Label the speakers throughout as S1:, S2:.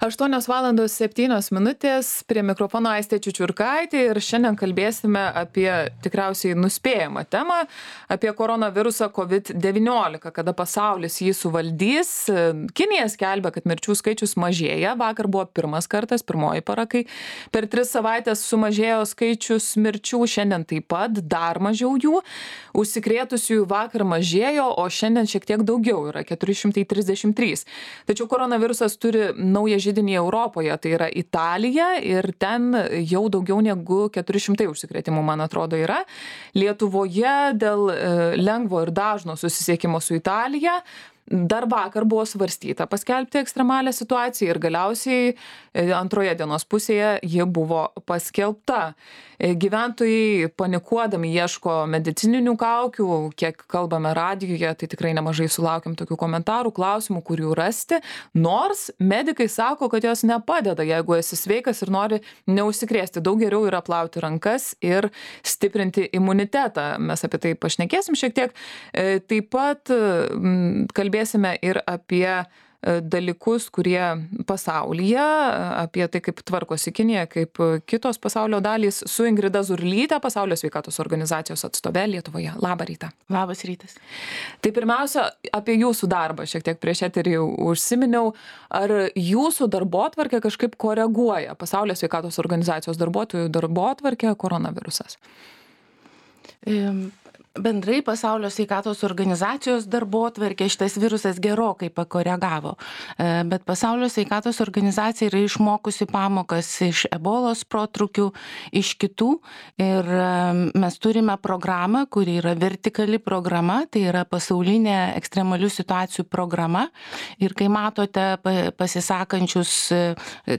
S1: 8:07 prie mikrofono Aistė Čiučiurkaitė ir šiandien kalbėsime apie tikriausiai nuspėjamą temą, apie koronavirusą COVID-19, kada pasaulis jį suvaldys. Kinija skelbia, kad mirčių skaičius mažėja. Vakar buvo pirmoji para, kai per 3 savaitės sumažėjo skaičius mirčių, šiandien taip pat dar mažiau jų. Užsikrėtusiųjų vakar mažėjo, o šiandien šiek tiek daugiau yra 433. Tačiau koronavirusas turi naują židinį Europoje, tai yra Italija, ir ten jau daugiau negu 400 užsikrėtimų, man atrodo, yra. Lietuvoje dėl lengvo ir dažno susisiekimo su Italija dar vakar buvo svarstyta paskelbti ekstremalią situaciją ir galiausiai antroje dienos pusėje ji buvo paskelbta. Gyventojai panikuodami ieško medicininių kaukių, kiek kalbame radijuje, tai tikrai nemažai sulaukiam tokių komentarų, klausimų, kur jų rasti, nors medikai sako, kad jos nepadeda, jeigu esi sveikas ir nori neužsikrėsti. Daug geriau yra plauti rankas ir stiprinti imunitetą. Mes apie tai pašnekėsim šiek tiek. Taip pat kalbėsime ir apie dalykus, kurie pasaulyje, apie tai, kaip tvarkosi Kinija, kaip kitos pasaulio dalys, su Ingrida Zurlytė, Pasaulio sveikatos organizacijos atstove Lietuvoje. Labą rytą.
S2: Labas rytas.
S1: Tai pirmiausia, apie jūsų darbą, šiek tiek prieš eterį užsiminiau, ar jūsų darbotvarkė kažkaip koreguoja Pasaulio sveikatos organizacijos darbuotojų darbotvarkę koronavirusas?
S2: Bendrai Pasaulio sveikatos organizacijos darbotvarkė šitas virusas gerokai pakoregavo, bet Pasaulio sveikatos organizacija yra išmokusi pamokas iš ebolos protrukių, iš kitų, ir mes turime programą, kuri yra vertikali programa, tai yra pasaulinė ekstremalių situacijų programa, ir kai matote pasisakančius,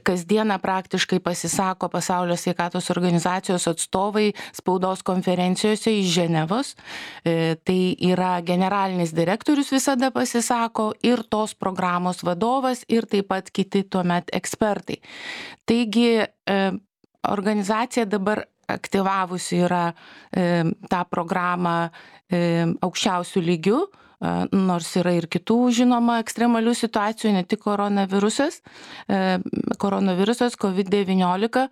S2: kasdieną praktiškai pasisako Pasaulio sveikatos organizacijos atstovai spaudos konferencijose iš Ženevos. Tai yra generalinis direktorius visada pasisako ir tos programos vadovas ir taip pat kiti tuomet ekspertai. Taigi organizacija dabar aktyvavusi yra tą programą aukščiausių lygių, nors yra ir kitų žinoma ekstremalių situacijų, ne tik koronavirusas COVID-19.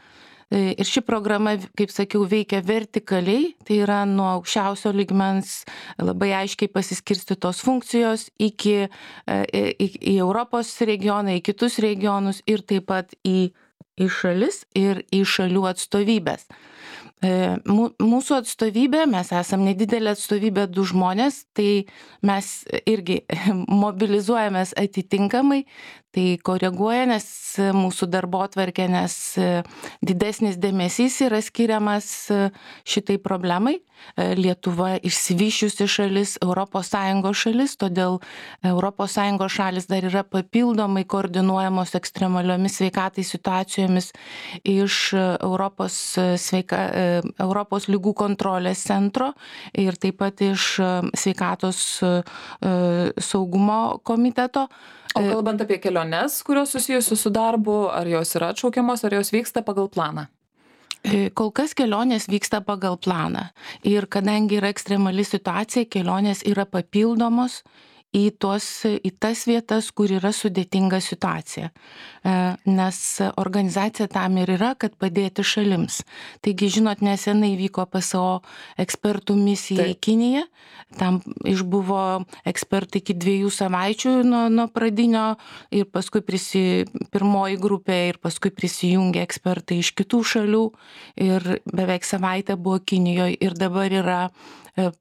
S2: Ir ši programa, kaip sakiau, veikia vertikaliai, tai yra nuo aukščiausio lygmens labai aiškiai pasiskirstytos funkcijos į Europos regioną, į kitus regionus ir taip pat į šalis ir į šalių atstovybės. Mūsų atstovybė, mes esam nedidelė atstovybė 2 žmonės, tai mes irgi mobilizuojamės atitinkamai, tai koreguoja, nes mūsų darbotvarkė, nes didesnis dėmesys yra skiriamas šitai problemai. Lietuva išsivysčiusi šalis, ES šalis, todėl ES šalis dar yra papildomai koordinuojamos ekstremaliomis sveikatai situacijomis iš Europos lygų kontrolės centro ir taip pat iš sveikatos saugumo komiteto.
S1: O kalbant apie keliones, kurios susijusios su darbu, ar jos yra atšaukiamos, ar jos vyksta pagal planą?
S2: Kol kas kelionės vyksta pagal planą. Ir kadangi yra ekstremali situacija, kelionės yra papildomos į tas vietas, kur yra sudėtinga situacija. Nes organizacija tam ir yra, kad padėti šalims. Taigi, žinot, nesenai vyko PSO ekspertų misija į Kiniją. Tam išbuvo ekspertai iki 2 savaičių nuo pradinio ir paskui pirmoji grupė ir paskui prisijungė ekspertai iš kitų šalių ir beveik savaitę buvo Kinijoje ir dabar yra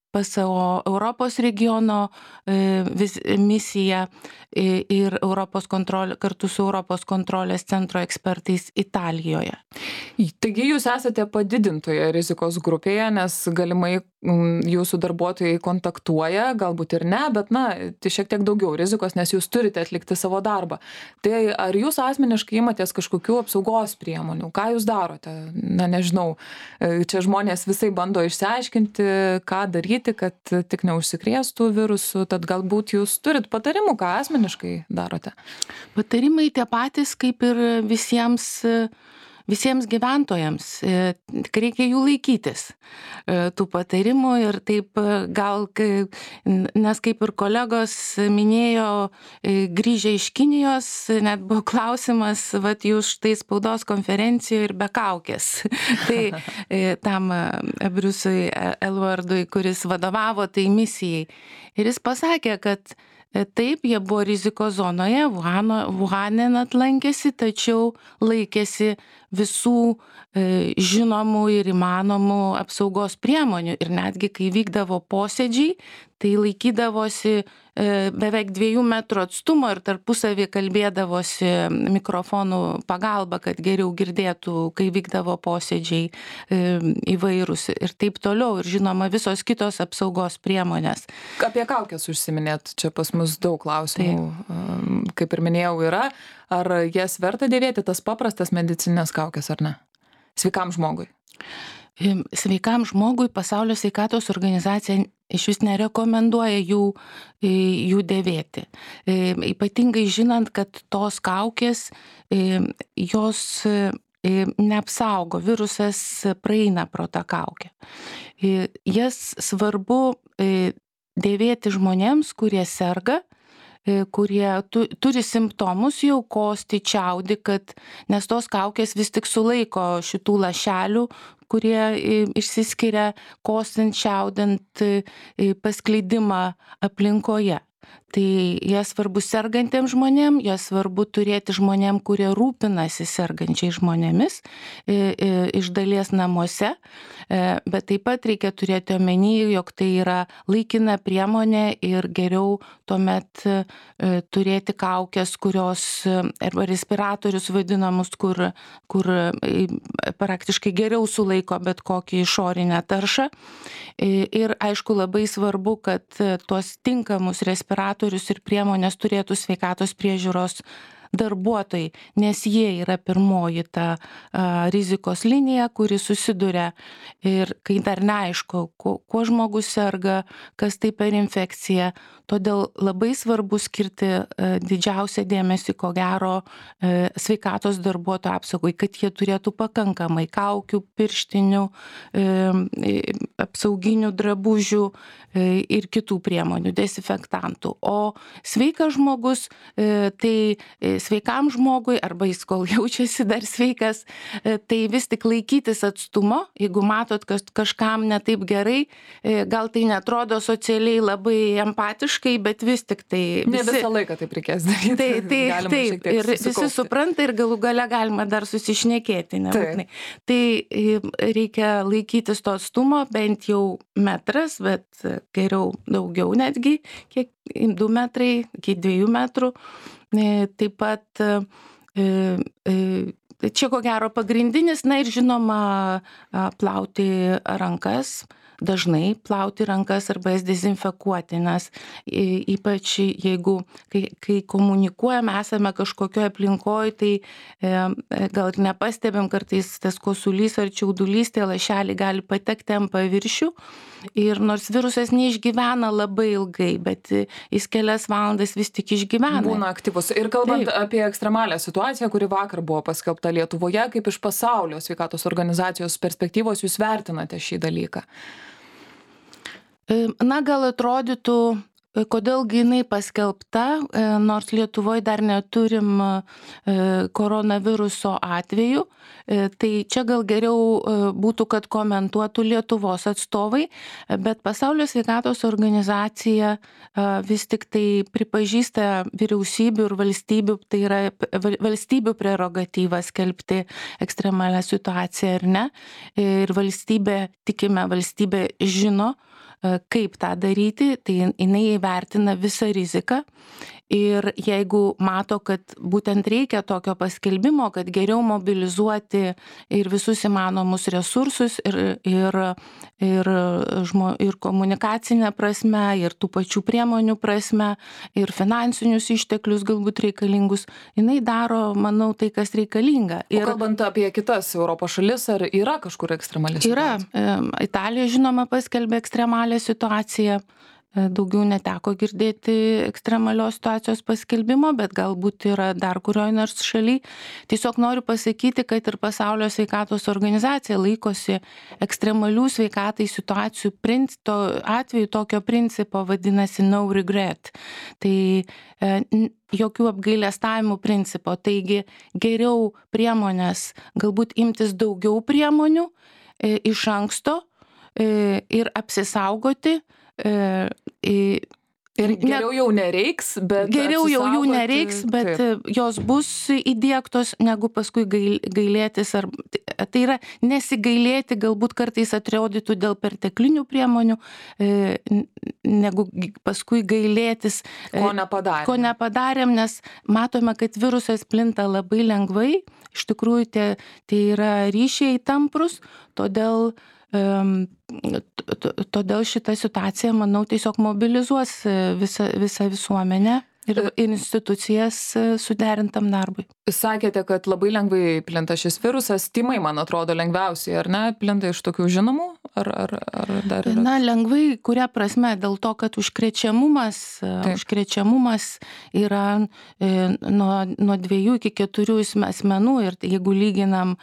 S2: PSO Europos regiono misija ir kartu su Europos kontrolės centro ekspertais Italijoje.
S1: Taigi jūs esate padidintoje rizikos grupėje, nes galimai jūsų darbuotojai kontaktuoja, galbūt ir ne, bet tai šiek tiek daugiau rizikos, nes jūs turite atlikti savo darbą. Tai ar jūs asmeniškai imatės kažkokių apsaugos priemonių? Ką jūs darote? Nežinau, čia žmonės visai bando išsiaiškinti, ką daryti, kad tik neužsikrėstų virusų, tad galbūt jūs turit patarimų, ką asmeniškai darote?
S2: Patarimai tie patys, kaip ir visiems visiems gyventojams. Tik reikia jų laikytis, tų patarimų ir taip gal, nes kaip ir kolegos minėjo, grįžę iš Kinijos, net buvo klausimas, vat jūs štai spaudos konferencijoje ir be kaukės. Tai tam Briusui Elvardui, kuris vadovavo tai misijai. Ir jis pasakė, kad taip, jie buvo rizikos zonoje, Wuhane net lankėsi, tačiau laikėsi visų žinomų ir įmanomų apsaugos priemonių. Ir netgi, kai vykdavo posėdžiai, tai laikydavosi beveik 2 metrų atstumo ir tarpusavį kalbėdavosi mikrofonų pagalba, kad geriau girdėtų, kai vykdavo posėdžiai įvairūs ir taip toliau. Ir žinoma, visos kitos apsaugos priemonės.
S1: Apie kaukės užsiminėt, čia pas mus daug klausimų, kaip ir minėjau, yra. Ar jas verta dėvėti, tas paprastas medicininės kaukės ar ne? Sveikam žmogui.
S2: Sveikam žmogui Pasaulio sveikatos organizacija iš vis nerekomenduoja jų dėvėti. Ypatingai žinant, kad tos kaukės, jos neapsaugo, virusas praeina pro tą kaukę. Jas svarbu dėvėti žmonėms, kurie serga, kurie turi simptomus jau, kosti, čiaudi, nes tos kaukės vis tik sulaiko šitų lašelių, kurie išsiskiria kostant, čiaudant, paskleidimą aplinkoje. Tai jie svarbu sergantiems žmonėms, jie svarbu turėti žmonėms, kurie rūpinasi sergančiai žmonėmis, iš dalies namuose, bet taip pat reikia turėti omeny, jog tai yra laikina priemonė ir geriau tuomet turėti kaukės, kurios, arba respiratorius vadinamus, kur praktiškai geriau sulaiko bet kokį išorinę taršą. Ir aišku, labai svarbu, kad tuos tinkamus respiratorius ir priemonės turėtų sveikatos priežiūros darbuotojai, nes jie yra pirmoji ta rizikos linija, kuri susiduria ir kai dar neaišku, kuo žmogus serga, kas tai per infekcija. Todėl labai svarbu skirti didžiausią dėmesį, ko gero, sveikatos darbuotojų apsaugai, kad jie turėtų pakankamai kaukių, pirštinių, apsauginių drabužių ir kitų priemonių, dezinfektantų. O sveikas žmogus, tai sveikam žmogui, arba jis kol jaučiasi dar sveikas, tai vis tik laikytis atstumo, jeigu matot, kad kažkam ne taip gerai, gal tai netrodo socialiai labai empatiškai, bet vis tik tai...
S1: Ne visą laiką taip reikės daryti.
S2: Taip, ir visi supranta ir galų gale galima dar susišnekėti. Tai reikia laikytis to atstumo, bent jau metras, bet geriau daugiau netgi, kiek 2 metrai, iki 2 metrų. Taip pat čia ko gero pagrindinis, na ir žinoma, plauti rankas, dažnai plauti rankas arba jas dezinfekuoti, nes ypač jeigu, kai komunikuojame, esame kažkokioje aplinkoje, tai gal ir nepastebėm, kartais tas kosulys ar čiaudulys, tie lašeliai gali patekti ant paviršių. Ir nors virusas neišgyvena labai ilgai, bet jis kelias valandas vis tik išgyvena.
S1: Būna aktyvus. Ir kalbant apie ekstremalią situaciją, kuri vakar buvo paskelbta Lietuvoje, kaip iš Pasaulio sveikatos organizacijos perspektyvos jūs vertinate šį dalyką?
S2: Na, gal atrodytų, kodėlgi jinai paskelbta, nors Lietuvoje dar neturim koronaviruso atvejų, tai čia gal geriau būtų, kad komentuotų Lietuvos atstovai, bet Pasaulio sveikatos organizacija vis tik tai pripažįsta vyriausybių ir valstybių, tai yra valstybių prerogatyva skelbti ekstremalią situaciją ar ne. Ir valstybė, tikime, valstybė žino, kaip tą daryti, tai jinai įvertina visą riziką ir jeigu mato, kad būtent reikia tokio paskelbimo, kad geriau mobilizuoti ir visus įmanomus resursus ir komunikacinę prasme, ir tų pačių priemonių prasme, ir finansinius išteklius galbūt reikalingus, jinai daro, manau, tai, kas reikalinga.
S1: O kalbant apie kitas Europos šalis, ar yra kažkur ekstremali situacija?
S2: Yra. Italija, žinoma, paskelbė ekstremalią situaciją. daugiau neteko girdėti ekstremalios situacijos paskelbimo, bet galbūt yra dar kurioj nors šaly. Tiesiog noriu pasakyti, kad ir Pasaulio sveikatos organizacija laikosi ekstremalių sveikatai situacijų atveju tokio principo, vadinasi no regret. Tai jokių apgailestavimų principo. Taigi geriau priemonės, galbūt imtis daugiau priemonių iš anksto ir apsisaugoti.
S1: Ir geriau jau nereiks, bet
S2: geriau jau jų nereiks, bet taip, jos bus įdiegtos, negu paskui gailėtis. Tai yra nesigailėti, galbūt kartais atrodytų dėl perteklinių priemonių, negu paskui gailėtis,
S1: ko
S2: nepadarėm, nes matome, kad virusas plinta labai lengvai. Iš tikrųjų, tai yra ryšiai tamprus, todėl šitą situaciją, manau, tiesiog mobilizuos visą visuomenę ir institucijas suderintam darbui.
S1: Sakėte, kad labai lengvai plinta šis virusas. Tymai, man atrodo, lengviausiai, ar ne? Plinta iš tokių žinomų? Ar dar yra?
S2: Na, lengvai, kuria prasme, dėl to, kad užkrečiamumas yra nuo 2 iki 4 asmenų, ir jeigu lyginam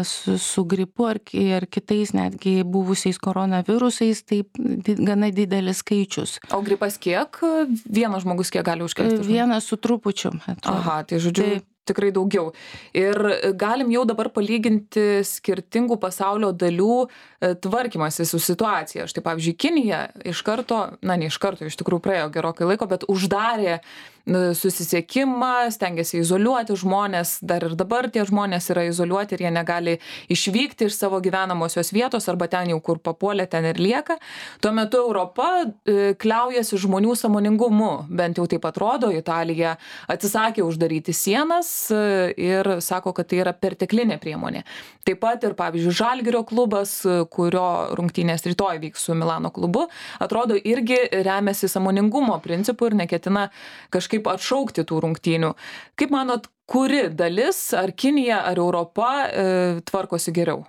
S2: su gripu ar kitais netgi buvusiais koronavirusais, tai gana didelis skaičius.
S1: O gripas kiek? Vienas žmogus kiek gali užkrėsti?
S2: Vienas su trupučiu.
S1: Aha, tai žodžiu, tikrai daugiau. Ir galim jau dabar palyginti skirtingų pasaulio dalių tvarkymasi su situacija. Štai pavyzdžiui, Kinija iš tikrųjų praėjo gerokai laiko, bet uždarė susisiekimą, stengiasi izoliuoti žmonės, dar ir dabar tie žmonės yra izoliuoti ir jie negali išvykti iš savo gyvenamosios vietos arba ten jau kur papuolė, ten ir lieka. Tuo metu Europa kliaujasi žmonių sąmoningumu, bent jau taip atrodo. Italija atsisakė uždaryti sienas ir sako, kad tai yra perteklinė priemonė. Taip pat ir, pavyzdžiui, Žalgirio klubas, kurio rungtynės rytoj vyks su Milano klubu, atrodo irgi remiasi sąmoningumo principu ir neketina kažkaip atšaukti tų rungtynių. Kaip manot, kuri dalis, ar Kinija, ar Europa tvarkosi geriau?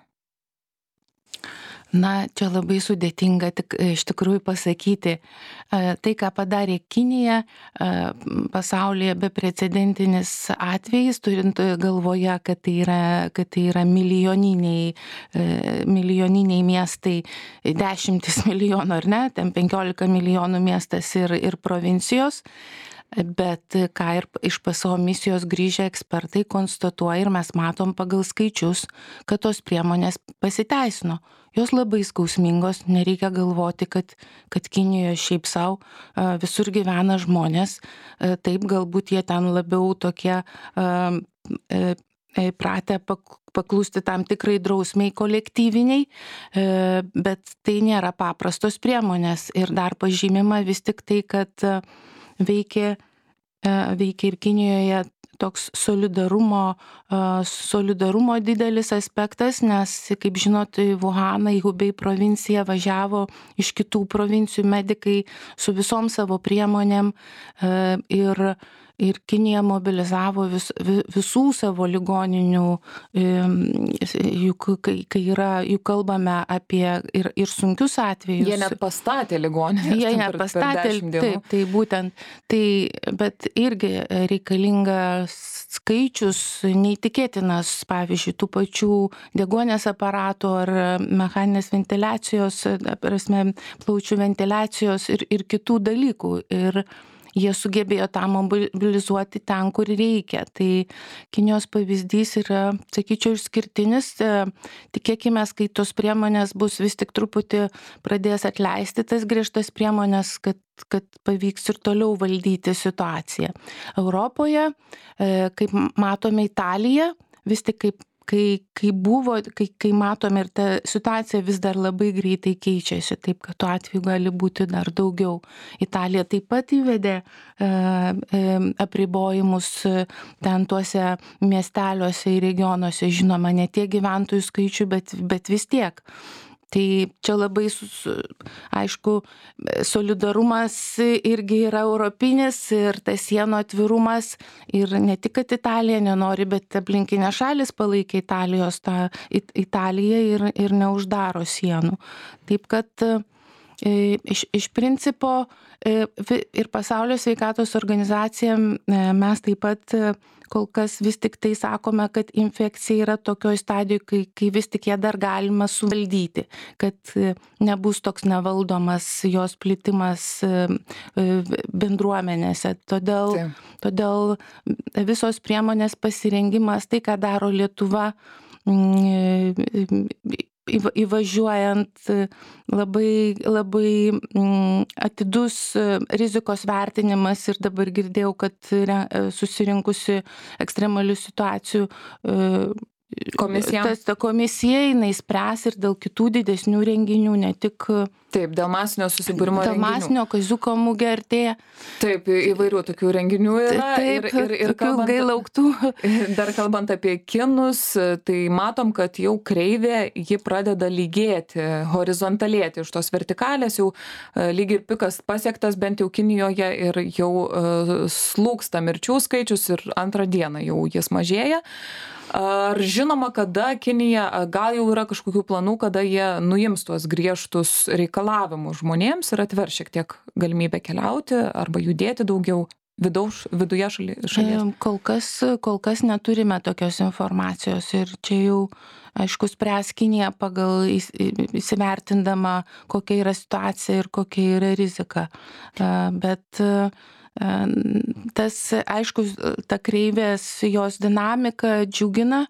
S2: Na, čia labai sudėtinga iš tikrųjų pasakyti. Tai, ką padarė Kinija, pasaulyje beprecedentinis atvejis, turint galvoje, kad tai yra milijoniniai miestai, 10 milijonų, ar ne, ten 15 milijonų miestas ir provincijos. Bet ką ir iš PSO misijos grįžę ekspertai konstatuoja ir mes matom pagal skaičius, kad tos priemonės pasiteisino. Jos labai skausmingos, nereikia galvoti, kad Kinijoje šiaip savo visur gyvena žmonės. Taip, galbūt jie ten labiau tokie pratę paklusti tam tikrai drausmiai kolektyviniai, bet tai nėra paprastos priemonės. Ir dar pažymima vis tik tai, kad veikia ir Kinijoje toks solidarumo didelis aspektas, nes, kaip žinot, į Wuhaną, į Hubei provinciją važiavo iš kitų provincijų medikai su visom savo priemonėm ir Kinija mobilizavo visų savo ligoninių, juk kalbame apie ir sunkius atvejus.
S1: Jie net pastatė ligoninės.
S2: Jie net pastatė, taip, tai būtent. Bet irgi reikalingas skaičius neįtikėtinas, pavyzdžiui, tų pačių deguonies aparatų ar mechaninės ventiliacijos, plaučių ventiliacijos ir kitų dalykų. Ir jie sugebėjo tą mobilizuoti ten, kur reikia. Tai Kinijos pavyzdys yra, sakyčiau, išskirtinis. Tikėkime, kai tos priemonės bus vis tik truputį pradės atleisti tas griežtas priemonės, kad pavyks ir toliau valdyti situaciją. Europoje, kaip matome, Italija, vis tik kai matome, ir ta situacija vis dar labai greitai keičiasi, taip kad tuo atveju gali būti dar daugiau. Italija taip pat įvedė apribojimus ten tuose miesteliuose ir regionuose, žinoma, ne tiek gyventojų skaičių, bet vis tiek. Tai čia labai, aišku, solidarumas irgi yra europinis ir tas sienų atvirumas. Ir ne tik, kad Italija nenori, bet aplinkinės šalis palaikė Italiją ir neuždaro sienų. Taip kad Iš principo ir Pasaulio sveikatos organizacija mes taip pat kol kas vis tik tai sakome, kad infekcija yra tokioj stadijoje, kai vis tik ją dar galima suvaldyti, kad nebus toks nevaldomas jos plitimas bendruomenėse. Todėl visos priemonės pasirengimas, tai ką daro Lietuva, įvažiuojant labai atidus rizikos vertinimas ir dabar girdėjau, kad susirinkusi ekstremalių situacijų komisija jinai spręs ir dėl kitų didesnių renginių, ne tik
S1: Taip, dėl masinio susibūrimo renginių.
S2: Dėl masinio kaziuko mugė artėja.
S1: Taip, įvairių tokių renginių yra.
S2: Taip, ir ilgai lauktų.
S1: Dar kalbant apie kinus, tai matom, kad jau kreivė, ji pradeda lygėti, horizontalėti iš tos vertikalės, jau lyg ir pikas pasiektas bent jau Kinijoje ir jau slūgsta mirčių skaičius ir antrą dieną jau jis mažėja. Ar žinoma, kada Kinija, gal jau yra kažkokių planų, kada jie nuims tuos griežtus reikalavimus žmonėms ir atver šiek tiek galimybę keliauti arba judėti daugiau viduje šalies?
S2: Kol kas neturime tokios informacijos ir čia jau, aišku, spręs Kinija pagal įsivertindama, kokia yra situacija ir kokia yra rizika. Bet tas, aišku, ta kreivės jos dinamika džiugina,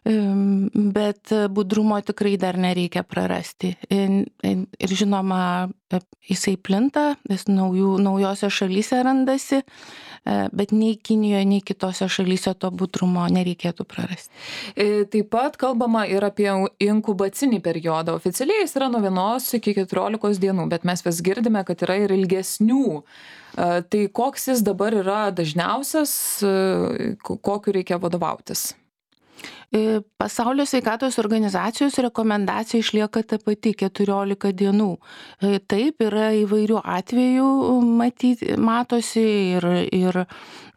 S2: bet budrumo tikrai dar nereikia prarasti. Ir žinoma, jisai plinta, jis naujose šalyse randasi, bet nei Kinijoje, nei kitose šalyse to budrumo nereikėtų prarasti.
S1: Taip pat kalbama ir apie inkubacinį periodą. Oficialiai jis yra nuo 1 iki 14 dienų, bet mes vis girdime, kad yra ir ilgesnių. Tai koks jis dabar yra dažniausias, kokiu reikia vadovautis?
S2: Pasaulio sveikatos organizacijos rekomendacija išlieka ta pati 14 dienų. Taip, yra įvairių atvejų matosi ir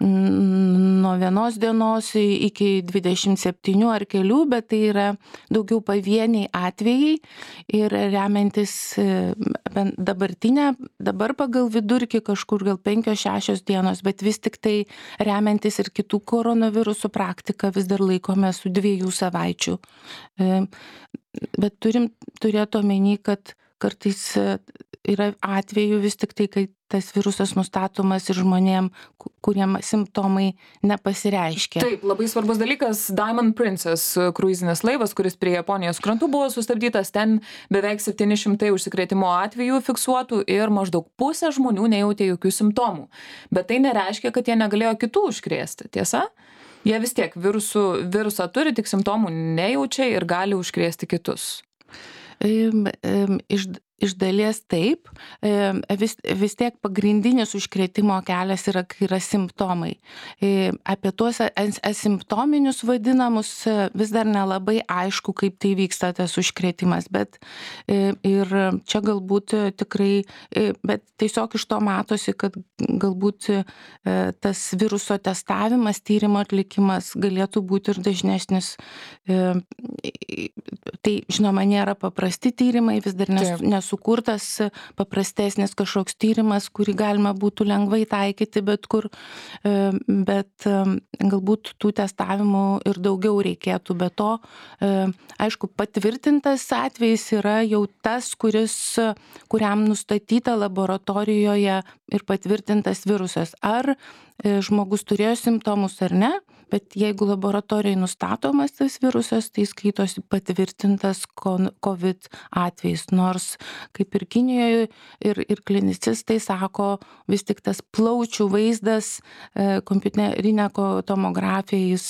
S2: nuo 1 dienos iki 27 ar kelių, bet tai yra daugiau pavieniai atvejai ir remiantis dabar pagal vidurkį kažkur gal 5-6 dienos, bet vis tik tai remiantis ir kitų koronavirusų praktiką vis dar laikome su 2 savaičių. Bet turim turėti omeny, kad kartais yra atvejų vis tik tai, kai tas virusas nustatomas ir žmonėm, kuriem simptomai nepasireiškia.
S1: Taip, labai svarbus dalykas. Diamond Princess kruizinis laivas, kuris prie Japonijos krantų buvo sustabdytas, ten beveik 700 užsikrėtimo atvejų fiksuotų ir maždaug pusė žmonių nejautė jokių simptomų. Bet tai nereiškia, kad jie negalėjo kitų užkrėsti, tiesa? Jie vis tiek virusą turi, tik simptomų nejaučia ir gali užkrėsti kitus.
S2: Iš dalies taip, vis tiek pagrindinis užkrėtimo kelias yra, kai yra simptomai. Apie tuos asimptominius vadinamus vis dar nelabai aišku, kaip tai vyksta tas užkrėtimas, bet ir čia galbūt tikrai, bet tiesiog iš to matosi, kad galbūt tas viruso testavimas, tyrimo atlikimas galėtų būti ir dažnesnis. Tai, žinoma, nėra paprasti tyrimai, vis dar nesukurtas paprastesnis kažkoks tyrimas, kurį galima būtų lengvai taikyti bet kur, bet galbūt tų testavimų ir daugiau reikėtų. Be to, aišku, patvirtintas atvejis yra jau tas, kuriam nustatyta laboratorijoje ir patvirtintas virusas. Ar žmogus turėjo simptomus ar ne, bet jeigu laboratorijai nustatomas tas virusas, tai skaitosi patvirtintas COVID atvejis. Nors, kaip ir Kinijoje, ir klinicistai sako, vis tik tas plaučių vaizdas, kompiuterinė tomografija,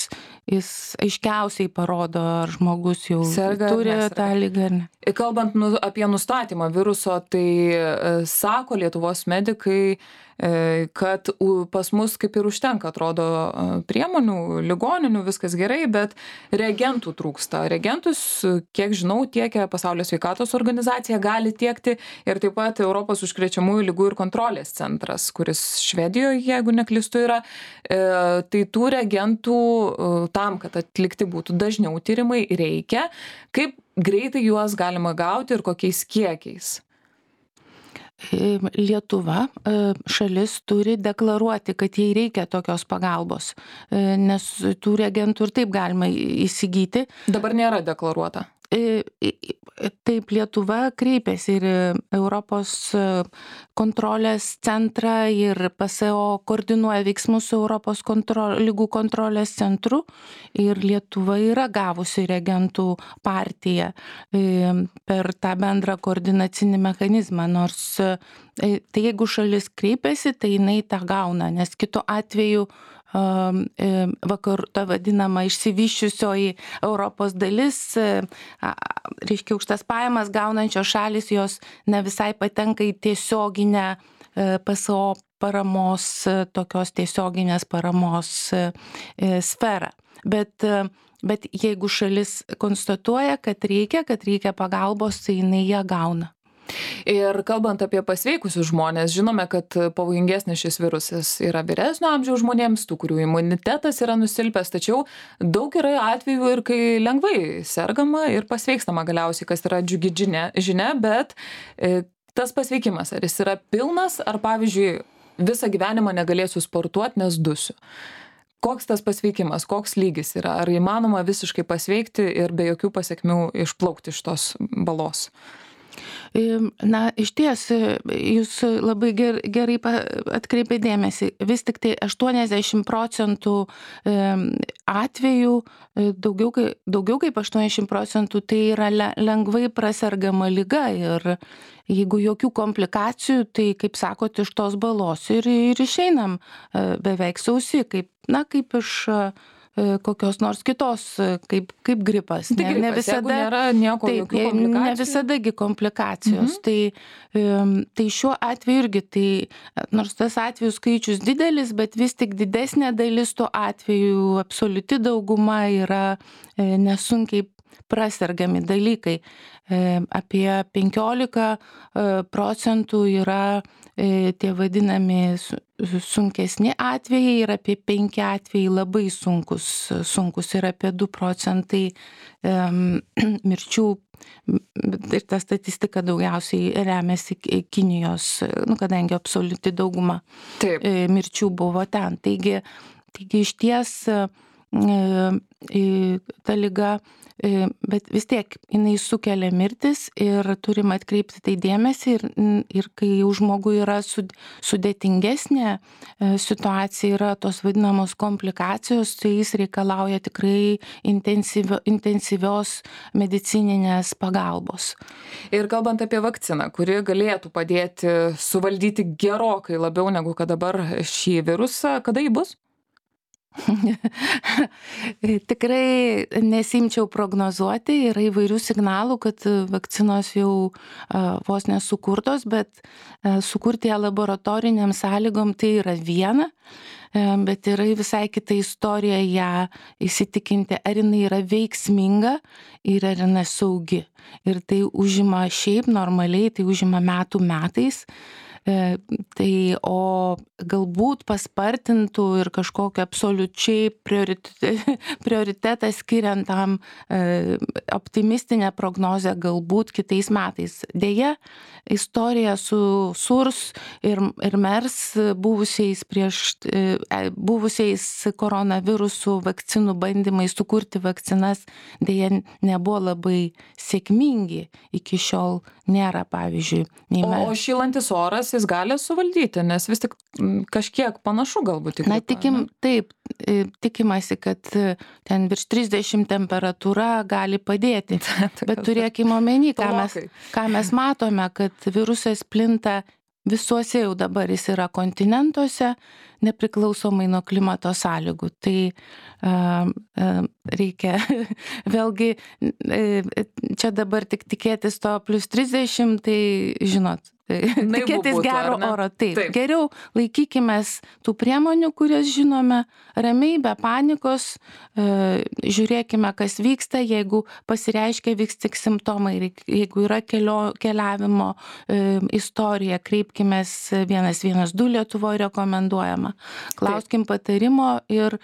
S2: jis aiškiausiai parodo, ar žmogus jau turi tą ligą ar ne.
S1: Kalbant apie nustatymą viruso, tai sako Lietuvos medikai, kad pas mus kaip ir užtenka, atrodo, priemonių, ligoninių, viskas gerai, bet reagentų trūksta. Reagentus, kiek žinau, tiekia Pasaulio sveikatos organizacija, gali tiekti ir taip pat Europos užkrečiamųjų ligų ir kontrolės centras, kuris Švedijoje, jeigu neklystu, yra. Tai tų reagentų tam, kad atlikti būtų dažniau tyrimai, reikia. Kaip greitai juos galima gauti ir kokiais kiekiais?
S2: Lietuva, šalis turi deklaruoti, kad jai reikia tokios pagalbos, nes tų reagentų ir taip galima įsigyti.
S1: Dabar nėra deklaruota.
S2: Taip, Lietuva kreipėsi ir Europos kontrolės centrą ir PSO koordinuoja veiksmus su Europos lygų kontrolės centru ir Lietuva yra gavusi reagentų partiją per tą bendrą koordinacinį mechanizmą, nors tai jeigu šalis kreipiasi, tai jinai tą gauna, nes kitu atveju ta vadinama išsivyščiusioji Europos dalis, reiškia aukštas pajamas gaunančios šalis, jos ne visai patenka į tiesioginę PSO paramos, tokios tiesioginės paramos sferą. Bet jeigu šalis konstatuoja, kad reikia pagalbos, tai jinai ją gauna.
S1: Ir kalbant apie pasveikusius žmonės, žinome, kad pavojingesnis šis virusas yra vyresnio amžiaus žmonėms, tų, kurių imunitetas yra nusilpęs, tačiau daug yra atvejų ir kai lengvai sergama ir pasveikstama galiausiai, kas yra džiugi žinia, bet tas pasveikimas, ar jis yra pilnas, ar pavyzdžiui visą gyvenimą negalėsiu sportuoti, nes dusiu. Koks tas pasveikimas, koks lygis yra, ar įmanoma visiškai pasveikti ir be jokių pasekmių išplaukti iš tos balos?
S2: Na, išties, jūs labai gerai atkreipė dėmesį, vis tik tai 80% atvejų, daugiau kaip 80% tai yra lengvai prasergama liga ir jeigu jokių komplikacijų, tai, kaip sakot, iš tos balos ir išeinam beveik sausi, kaip iš kokios nors kitos, kaip gripas.
S1: Ne visada nėra nieko, jokių komplikacijų.
S2: Ne visadagi komplikacijos. Tai šiuo atveju irgi, nors tas atvejų skaičius didelis, bet vis tik didesnė dalis tų atvejų, absoliuti dauguma yra nesunkiai prasergami dalykai. Apie 15% yra tie vadinami sunkesni atvejai ir apie 5 atvejai labai sunkus ir apie 2% mirčių. Ir ta statistika daugiausiai remiasi Kinijos, kadangi absoliuti dauguma mirčių buvo ten. Taigi iš ties ta liga, bet vis tiek jinai sukelia mirtis ir turim atkreipti tai dėmesį ir kai jau žmogui yra sudėtingesnė situacija, yra tos vadinamos komplikacijos, tai jis reikalauja tikrai intensyvios medicininės pagalbos.
S1: Ir kalbant apie vakciną, kuri galėtų padėti suvaldyti gerokai labiau negu kad dabar šį virusą, kada ji bus?
S2: Tikrai nesimčiau prognozuoti, yra įvairių signalų, kad vakcinos jau vos nesukurtos, bet sukurti ją laboratoriniam sąlygom tai yra viena, bet yra visai kita istorija ją įsitikinti, ar jinai yra veiksminga ir ar jinai saugi. Ir tai užima šiaip normaliai, tai užima metais. O galbūt paspartintų ir kažkokio absoliučiai prioritetą skiriant tam optimistinę prognozę galbūt kitais metais. Deja, istorija su SURS ir MERS buvusiais koronavirusų vakcinų bandymais sukurti vakcinas deja nebuvo labai sėkmingi. Iki šiol nėra, pavyzdžiui.
S1: O šylantis oras jis gali suvaldyti, nes vis tik kažkiek panašu galbūt į gripą.
S2: Taip, tikimasi, kad ten virš 30 temperatūra gali padėti. Bet turėkime omeny, ką mes matome, kad virusas plinta visuose jau dabar, jis yra kontinentuose, nepriklausomai nuo klimato sąlygų. Tai reikia vėlgi čia dabar tik tikėtis to plus 30, tai žinot, tikėtis gero oro. Taip. Geriau laikykimės tų priemonių, kurias žinome, ramiai, be panikos, žiūrėkime, kas vyksta, jeigu pasireiškia, vyks tik simptomai, jeigu yra keliavimo istorija, kreipkimės 112 Lietuvoje rekomenduojama. Klauskim patarimo ir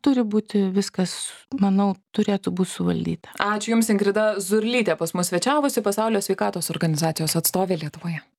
S2: turi būti viskas, manau, turėtų būti suvaldyta.
S1: Ačiū Jums, Ingrida Zurlytė, pas mus svečiavusi Pasaulio sveikatos organizacijos atstovė Lietuvoje.